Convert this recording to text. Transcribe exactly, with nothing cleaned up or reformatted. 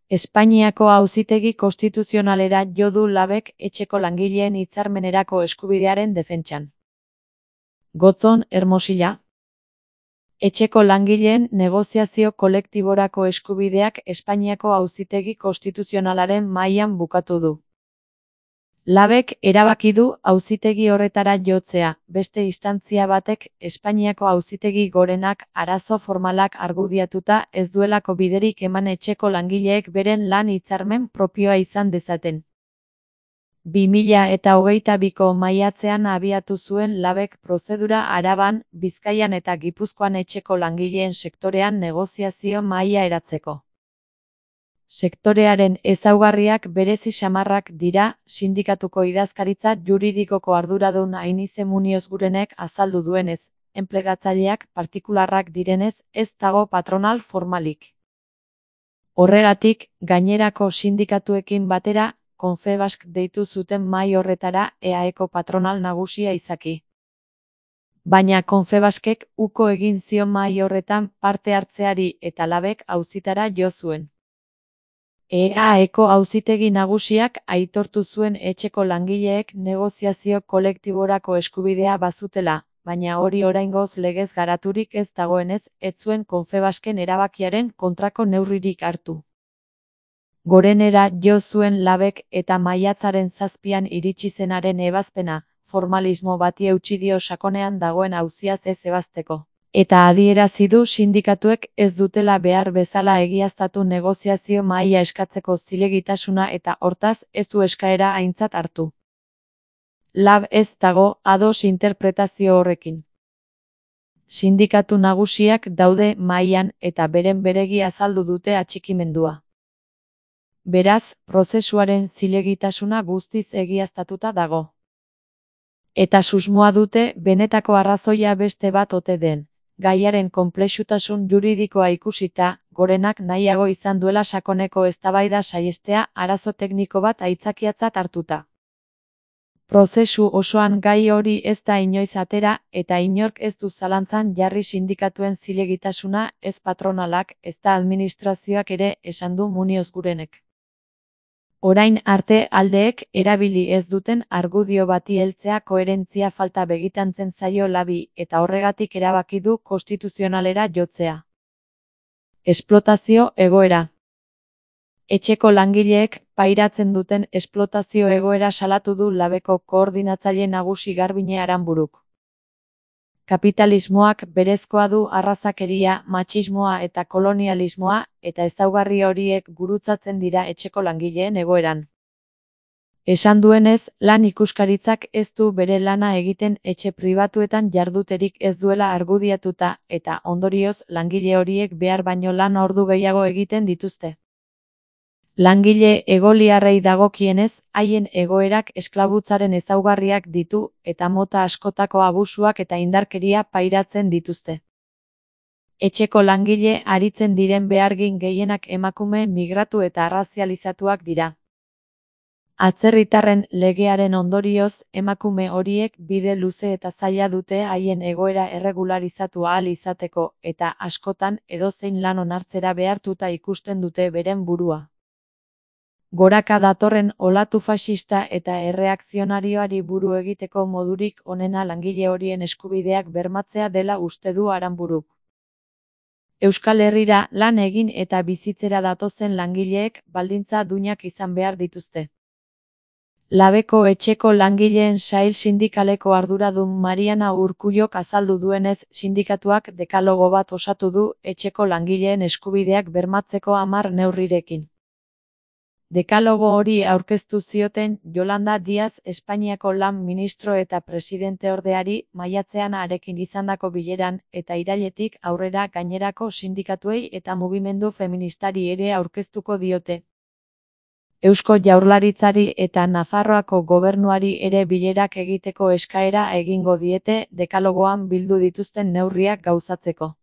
Espainiako Auzitegi Konstituzionalera jo du Labek etxeko langileen hitzarmenerako eskubidearen defentsan. Gotzon, Hermosilla. Etxeko langileen negoziazio kolektiborako eskubideak Espainiako Auzitegi Konstituzionalaren mahaian bukatu du. Labek erabaki du auzitegi horretara jotzea, beste instantzia batek Espainiako Auzitegi Gorenak arazo formalak argudiatuta ez duelako biderik eman etxeko langileek beren lan hitzarmen propioa izan dezaten. bi mila eta hogeita biko maiatzean abiatu zuen Labek prozedura Araban, Bizkaian eta Gipuzkoan etxeko langileen sektorean negoziazio mahaia eratzeko. Sektorearen ezaugarriak berezi samarrak dira, sindikatuko idazkaritza juridikoko arduradun Ainize Muniozgurenek azaldu duenez, enplegatzaileak partikularrak direnez, ez dago patronal formalik. Horregatik, gainerako sindikatuekin batera, Confebask deitu zuten mahai horretara E A Eko patronal nagusia izaki. Baina Confebaskek uko egin zion mahai horretan parte hartzeari eta Labek auzitara jo zuen. E A Eko auzitegi nagusiak aitortu zuen etxeko langileek negoziazio kolektiborako eskubidea bazutela, baina hori oraingoz legez garaturik ez dagoenez, ez zuen Confebasken erabakiaren kontrako neurririk hartu. Gorenera jo zuen Labek eta maiatzaren zazpian iritsi zenaren ebazpena, formalismo bati eutsi dio sakonean dagoen auziaz ez ebazteko. Eta adierazi du sindikatuek ez dutela behar bezala egiaztatu negoziazio mahaia eskatzeko zilegitasuna eta hortaz ez du eskaera aintzat hartu. Lab ez dago ados interpretazio horrekin. Sindikatu nagusiak daude mahaian eta beren beregi azaldu dute atxikimendua. Beraz, prozesuaren zilegitasuna guztiz egiaztatuta dago. Eta susmoa dute benetako arrazoia beste bat ote den. Gaiaren konplexutasun juridikoa ikusita, Gorenak nahiago izan duela sakoneko eztabaida saihestea arazo tekniko bat aitzakiatzat hartuta. Prozesu osoan gai hori ez da inoiz atera eta inork ez du zalantzan jarri sindikatuen zilegitasuna ez patronalak ez da administrazioak ere esan du Muniozgurenek. Orain arte aldeek erabili ez duten argudio bati heltzea koherentzia falta begitantzen zaio Labi eta horregatik erabaki du konstituzionalera jotzea. Esplotazio egoera. Etxeko langileek pairatzen duten esplotazio egoera salatu du Labeko koordinatzaile nagusi Garbine Aranburuk. Kapitalismoak berezkoa du arrazakeria, matxismoa eta kolonialismoa, eta ezaugarri horiek gurutzatzen dira etxeko langileen egoeran. Esan duenez, lan ikuskaritzak ez du bere lana egiten etxe pribatuetan jarduterik ez duela argudiatuta, eta ondorioz langile horiek behar baino lan ordu gehiago egiten dituzte. Langile egoliarrei dagokienez, haien egoerak esklabutzaren ezaugarriak ditu eta mota askotako abusuak eta indarkeria pairatzen dituzte. Etxeko langile aritzen diren behargin gehienak emakume migratu eta arrazializatuak dira. Atzerritarren legearen ondorioz, emakume horiek bide luze eta zaila dute haien egoera erregularizatu ahal izateko eta askotan edozein lan onartzera behartuta ikusten dute beren burua. Goraka datorren olatu faxista eta erreakzionarioari buru egiteko modurik onena langile horien eskubideak bermatzea dela uste du Aranburuk. Euskal Herrira lan egin eta bizitzera datozen langileek baldintza duinak izan behar dituzte. Labeko etxeko langileen sail sindikaleko arduradun Mariana Urkullok azaldu duenez, sindikatuak dekalogo bat osatu du etxeko langileen eskubideak bermatzeko hamar neurrirekin. Dekalogo hori aurkeztu zioten Yolanda Díaz Espainiako lan ministro eta presidenteordeari maiatzean harekin izandako bileran eta irailetik aurrera gainerako sindikatuei eta mugimendu feministari ere aurkeztuko diote. Eusko Jaurlaritzari eta Nafarroako gobernuari ere bilerak egiteko eskaera egingo diete dekalogoan bildu dituzten neurriak gauzatzeko.